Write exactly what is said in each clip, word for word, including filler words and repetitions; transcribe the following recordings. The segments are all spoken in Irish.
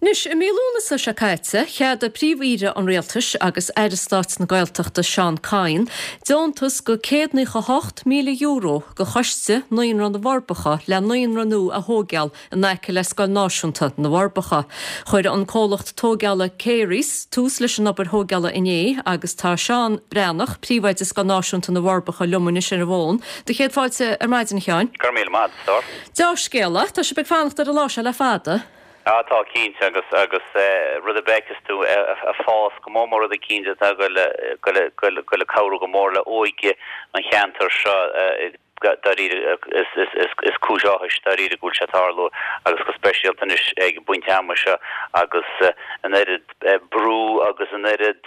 Anois, i mí Lúnasa seo caite, cheadaigh Príomh-Aoire an Rialtais agus Aire Stáit na Gaeltachta Seán Kyne deontas de céad naocha hocht míle euro do Choiste Naíonra na bhForbacha le naíonra nua a thógáil in aice le Scoil Náisiúnta na bhForbacha. Chuir an comhlacht tógála Careys tús leis an obair thógála inné agus tá Seán Breathnach, Príomhoide Scoil Náisiúnta na bhForbacha liom anois ar an bhfón. Do chéad fáilte ar maidin, a Sheáin. Go raibh míle maith, a stór. Dea-scéala, tá sibh ag fanacht ar an lá seo le fada. Á tá cinnte agus agus rud a bhfeiceas tú ag fás go mór mór rud eicínt atá ag goil ag cabhrú go mór le óige an cheantair seo dáiríre is cúis áthais dáiríre go bhfuil sé ag tarlú agus go speisialta anois ag an bpointe ama seo agus an oiread brú agus an oiread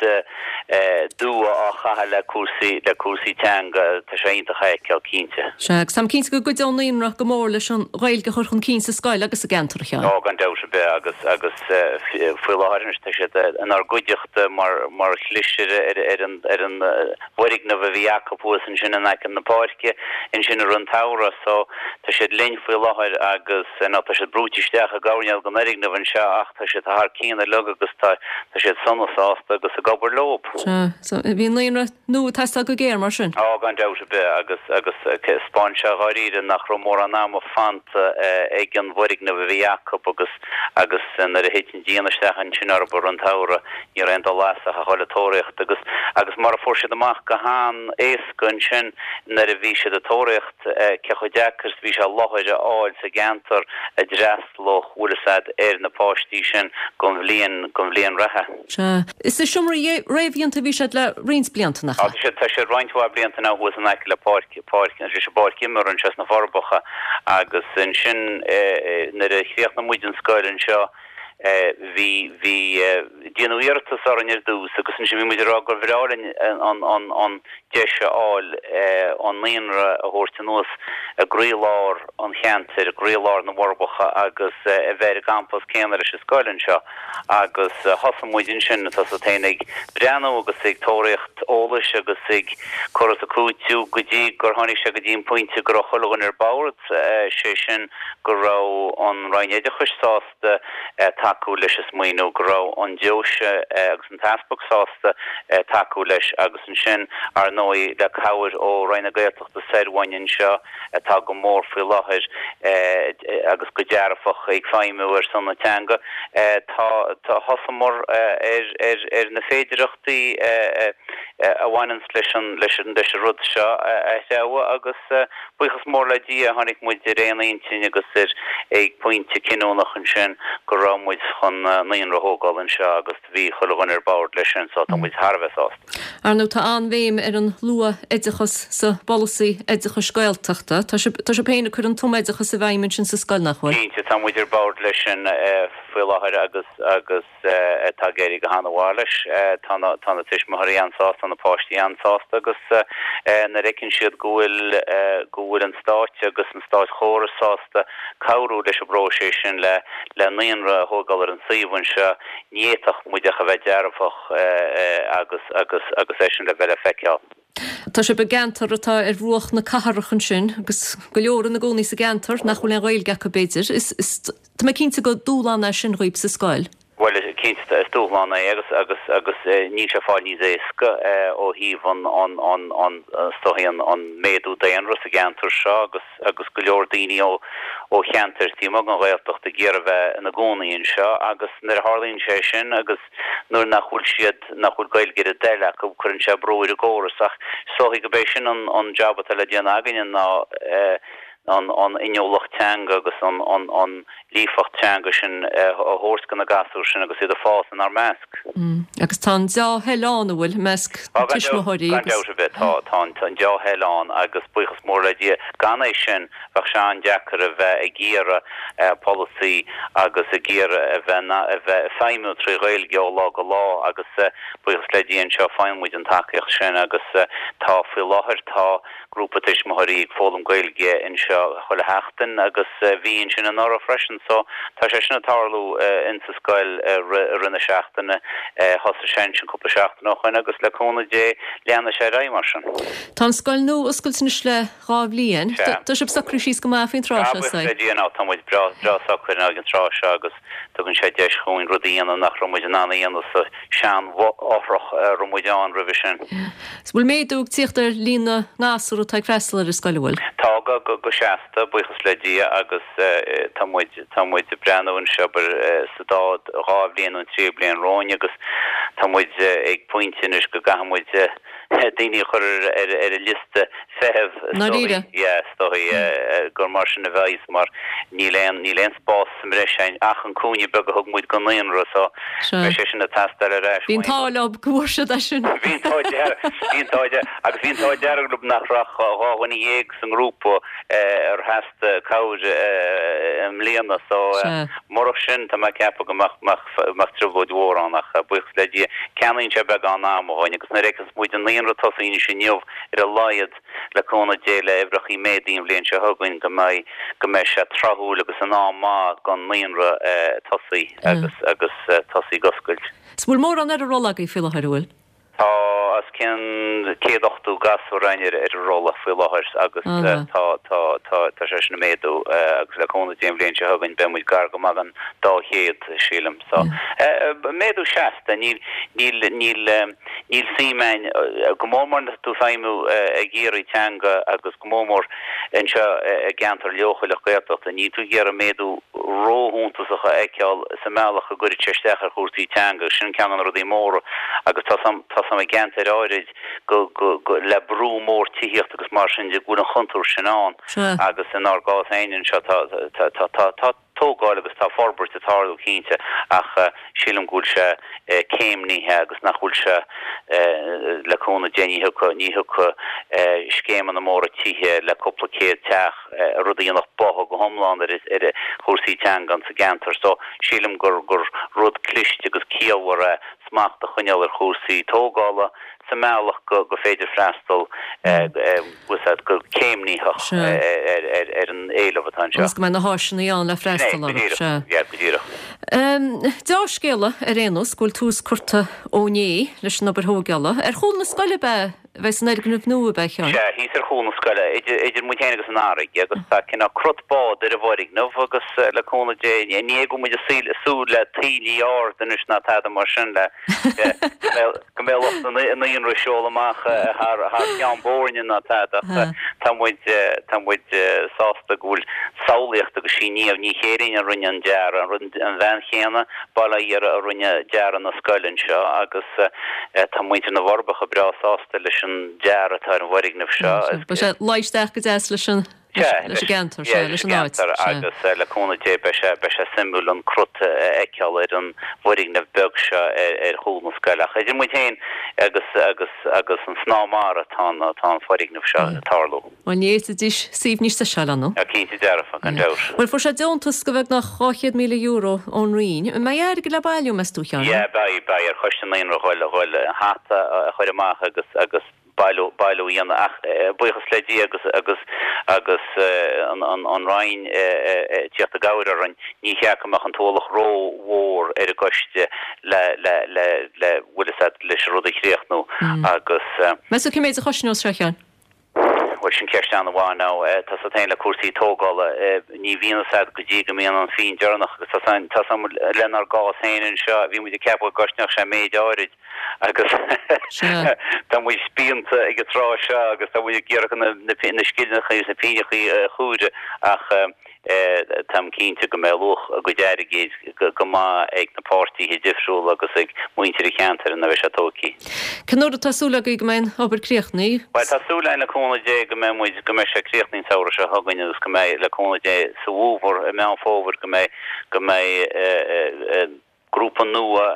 dua á chaitheamh le cúrsaí le cúrsaí teanga tá sé iontach a fheiceáil cinnte. Sea, agus táim cinnte go gcuideoidh an naíonra go mór leis an Ghaeilge a chur chun cinn sa scoil agus sa gceantar, a Sheáin. Ó, gan dabht ar bith agus agus faoi láthair anois tá siad inár gcuideachta mar mar chlisire ar ar an ar an bhfoirgneamh a bhí acu thuas ansin in aice na páirce ansin i rith an tsamhraidh so tá siad linn faoi láthair agus nó tá siad brúite isteach i gcoirnéal den fhoirgneamh anseo ach tá siad thar cionn uilig agus tá tá siad sona sásta agus ag obair leo. Sea, so bhí naíonra nua ag teastáil go géar mar sin? Ó, gan dabht ar bith agus agus 'spáin sé dháiríre nach raibh mórán ama fanta ag an bhfoirgneamh a bhí acu agus agus nuair a thit an díon isteach ansin orthu i rith an tsamhraidh ní raibh aon dul as ach a dhul ag tóraíocht agus agus mar a fuair siad amach go han-éasca ansin nuair a bhí siad ag tóraíocht cé chomh deacair is a bhí sé láthair a fháil sa gceantar a d'fhreastalódh bhfuil fhios a'd ar na páistí sin don bhliain don bhliain reatha. Sea. Is i seomraí réamhdhéanta a bhí siad le roinnt blianta, nach ea? Tá siad tá siad roinnt mhaith blianta now thuas in aice le páirc páirc leis an bpáirc imeartha anseo sna Forbacha agus ansin nuair a chríochnaigh muid an scoil anseo bhí bhí déanadh iarratas orainn ar dtús agus ansin bhí muid ag rá gur bhreá linn an an an deis a fháil an naíonra a thabhairt anuas i gcroílár an cheantair, i gcroílár na bhForbacha agus a bheith ar an gcampas céanna leis an scoil anseo agus thosaigh muid ansin, tá 's agat féin, ag breathnú agus ag tóraíocht eolais agus ag cur is ag cúiteamh go dtí gur tháinig sé go dtí an pointe go raibh chuile dhuine ar bord, sé sin go raibh an Roinn Oideachais sásta tacú leis an smaoineamh, go raibh an deoise agus an t-easpag sásta tacú leis agus ansin, ar ndóigh, le cabhair ó Roinn na Gaeltachta soir uainn anseo atá go mór faoi láthair agus go dearfach ag feidhmiú ar son na teanga, tá, thosaíomar ar, ar, ar na féidearthachtaí a bhaineanns leis an, leis an, leis an rud seo a threabhadh agus buíochas mór le Dia tháinig muid ar aon intinn agus ar ag pointe cinniúnach ansin go raibh muid chun naíonra a thógáil anseo agus bhí chuile dhuine ar bord leis sin so tá muid thar a bheith sásta. Ar ndóigh tá an-bhéim ar an luath-oideachas sa bpolasaí oideachais Gaeltachta. Tá sibh, tá sibh féin ag cur an tumoideachas i bhfeidhm ansin sa scoil, nach bhfuil? Cinnte, tá muid ar bord leis sin faoi láthair agus, agus. Tá ag éirí go han-mhaith leis. Tá na tá na tuismitheoirí an-sásta, tá na páistí an-sásta agus nuair a fheiceann siad go bhfuil go bhfuil an Stát agus an státchóras sásta cabhrú leis an bpróiseas sin le le naíonra a thógáil ar an suíomh anseo, ní fhéadfadh muid ach a bheith dearfach agus agus agus é sin le bheith le feiceáil. Tá sibh i gceantar atá ar bhruach na cathrach ansin agus go leor ina gcónaí sa gceantar nach bhfuil aon Ghaeilge acu b'fhéidir. Is is tá mé cinnte gur dúshlán é sin dhaoibh sa scoil. Bhuel, cinnte, is dúshlán é agus agus agus níl sé ag fáil níos éasca ó thaobh an an an an is dóichí an an méadú daonra sa gceantar seo agus agus go leor daoine ó ó cheantair taobh amuigh den Ghaeltacht ag iarraidh bheith ina gcónaí anseo agus nuair a tharlaíonn sé sin agus nuair nach bhfuil siad nach bhfuil Gaeilge ar a dtoil acu cuireann sé brú ar an gcóras ach is dóichí gurb é sin an an jab atá le déanamh againne ná an an inniúlacht teanga agus an an an líofacht teanga sin a thabhairt do na gasúir sin agus iad ag fás inár measc. Agus tá an dea-thoil ann, an bhfuil, i measc na tuismitheoirí agus. Gan dabht ar bith, tá tá an an dea-thoil ann agus buíochas mór le Dia, gan é sin bheadh sé an-deacair a bheith ag iarraidh polasaí agus ag iarraidh a bheith a bheith ag feidhmiú trí Ghaeilge ó lá go lá agus buíochas le Dia anseo faigheann muid an tacaíocht sin agus tá faoi láthair tá Grúpa tuismitheoirí ag foghlaim Gaeilge anseo chuile sheachtain agus bhí ansin anuraidh freisin sin. So tá sé sin ag tarlú insa scoil i rith na seachtaine, thosaigh sé ansin cúpla seachtain ó shoin agus le cúnamh Dé leanfaidh sé ar aghaidh mar sin. Tá an scoil nua oscailte anois le dhá bhliain. Tá sibh socraithe síos go maith faoin tráth seo, is dóigh? Buíochas le Dia now tá muid breá breá socair now ag an tráth seo agus tugann sé deis chugainn rudaí a dhéanamh nach raibh muid in ann a dhéanamh sa sean-fhothrach a raibh muid ann roimhe sin. Is bhfuil méadú ag tíocht ar líon na ngasúr atá ag freastal ar an scoil, an bhfuil? Tá go go go seasta, buíochas le Dia agus tá muid tá muid ag breathnú anseo sa dá dhá bhliain nó trí bliain romhainn agus tá muid ag pointe anois go gcaithfidh muid daoine a chur ar ar an liosta feithimh is dóigh yeah is dóigh gur mar sin a bheidh mar níl aon níl aon spás sa mbreis againn ach an cúinne beag a thug muid don naíonra so beidh sé sin ag teastáil ar ais Bhí an t-ádh leo go bhfuair siad é sin. Bhí an t-ádh dearg bhí an t-ádh dearg agus bhí an t-ádh dearg leo nach raibh ach dhá dhuine dhéag sa ngrúpa ar theastaigh cabhair i mbliana so murach sin tá mé ag ceapadh go mbeadh mbeadh trioblóid mhór ann ach buíochas le Dia ceannaíonn sé beagán ama dhúinn agus nuair a fheiceanns muid an naíonra tosaithe anois inniu ar a laghad le cúnamh Dé le uimhreachaí méadaithe an bhliain seo chugainn go mbeidh go mbeidh sé tráthúil agus in am maith don naíonra tosaí agus agus tosaí ag oscailt. Is bhfuil mórán ar an rolla agaibh faoi láthair, an bhfuil? Tá os cionn céad ochtó gasúr againn ar ar an rolla faoi láthair agus tá tá tá tá sé sin ag méadú agus le cúnamh Dé an bhliain seo chugainn beidh muid gar go maith don dá chéad sílim. So méadú seasta níl níl níl níl suim againn go mór mór nuair atá tú ag feidhmiú ag iarraidh teanga agus go mór mór anseo i gceantar leochaileach Gaeltachta níl tú ag iarraidh méadú róshuntasach a fheiceáil sa mbealach go gcuirfidh sé isteach ar chúrsaí teanga. Sin ceann de na rudaí móra agus tá tá a fhios agam i gceantair áirid go go go le brú mór tithíochta agus mar sin de go bhfuil an chontúirt sin ann agus inár gcás féin anseo tá tá tá tá tá tógáil agus tá forbairt ag tarlú cinnte ach sílim go bhfuil sé céimnithe agus nach bhfuil sé le cúnamh Dé ní thiocfaidh ní thiocfaidh scéimeanna móra tithe le cúpla céad teach rud a dhéanfadh bogha go hiomlán ar ar chúrsaí teanga sa gceantar so sílim gur gur rud cliste agus ciallmhar é smacht a choinneáil ar chúrsaí tógála sa mbealach go go féidir freastal go céimnitheach ar an éileamh atá anseo. Agus go mbeidh na háiseanna ann le freastal orthu. Sea, go díreach. Dea-scéala ar aon nós go bhfuil tús curtha ó inné leis an obair thógála. Ar chúl na scoile ab ea a bheas an fhoirgneamh nua, ab ea, a Sheáin? Sea, thíos ar chúl na scoile, idir idir muid féin agus an fharraige, agus tá cineál crot bád ar an bhfoirgneamh agus le cúnamh Dé, ní hé go bhfuil muid ag súil le taoillí ard anois ná tada mar sin le go mbeidh lucht an naíonra ag seoladh amach thar thar Cheann Boirne ná tada ach tá muid tá muid sásta go bhfuil samhlaíocht agus sí Niamh Ní Chéirín a rinne an dearadh, an bhean chéanna, bail ó Dhia uirthi a rinne dearadh na scoile anseo agus tá muintir na bhForbacha breá sásta leis an dearadh atá ar an bhfoirgneamh seo. Beidh sé ag luí isteach go deas leis an leis an gceantar, sea, leis an áit. Sea, agus le cúnamh Dé beidh sé beidh sé suimiúil an crut a fheiceáil ar an bhfoirgneamh beag seo ar ar chúl na scoile. Ach idir muid féin agus agus agus an snáth mara atá an atá an foirgneamh seo ag tarlú. Bhuel, ní fhéadfaidís suíomh níos deise a fháil ann. Á, cinnte dearfa, gan dabht. Bhuel, fuair sé deontas de bheagnach dhá chéad míle euro ón Roinn. An mbeidh airgead le bailiú, meas tú, a Sheáin? Yeah, beidh, beidh ar Choiste Naíonra a ghoil an hata a chur amach agus agus bailiú, bailiú a dhéanamh ach buíochas le Dia agus agus agus an an an Roinn ag tíocht i gcabhair orainn, ní cheart go mbeadh an t-ualach ró-mhór ar an gcoiste le le le le bhfuil fhios a'd leis an rud a chríochnú agus. Meas tú cé méid a chosnós sé, a Sheáin? Bhuel, sin ceist an-mhaith now. Tá 'fhios a'd féin le cúrsaí tógála, ní bhíonn fhios a'd go dtí go mbíonn an phingin deireanach agus tá 'fhios a'm lenár gcás féin anseo, bhí muid ag ceapadh go gcosnódh sé méid áirid agus tá muid spíonta ag an tráth seo agus tá muid ag iarraidh na na scillingeacha agus na pingneacha a chomhaireamh ach Táim cinnte go mbeidh luach a gcuid airgid go maith ag na páirtithe difriúla agus ag muintir an cheantair nuair a bheidh sé tógtha. Cén uair atá súil agaibh go mbeidh an obair críochnaithe? Bhuel, tá súil againn le cúnamh Dé go mbeidh muid, go mbeidh sé críochnaithe an samhradh seo chugainn agus go mbeidh, le cúnamh Dé, sa bhfómhar, i Meán Fómhair, go mbeidh, go mbeidh, grúpa nua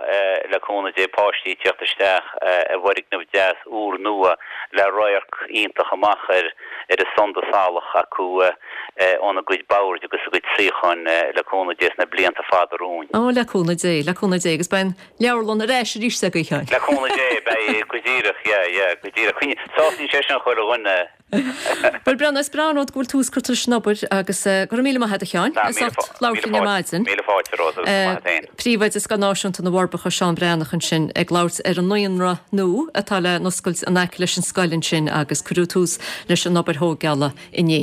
le cúnamh Dé páistí ag teacht isteach i bhfoirgneamh deas úr nua le radharc iontach amach ar ar an sunda salach acu óna gcuid boird agus a gcuid suíocháin le cúnamh Dé sna blianta fada romhainn. Ó le cúnamh Dé, le cúnamh Dé agus beidh an leabharlann ar ais arís agaibh a Sheáin. Le cúnamh Dé, beidh go díreach, yeah, yeah, go díreach. Sásaíonn sé sin chuile dhuine. Bhuel Breandán, is breá an rud go bhfuil tús curtha leis an obair agus go raibh míle maith agat a Sheáin as ucht labhairt linn ar maidin. Míle fáilte romhat agus go maith agat féin. Príomhoide Scoil Náisiúnta na bhForbacha Seán Breathnach ansin ag labhairt ar an naíonra nua atá le n-oscailt in aice leis an scoil ansin agus cuireadh tús leis an obair thógála inné.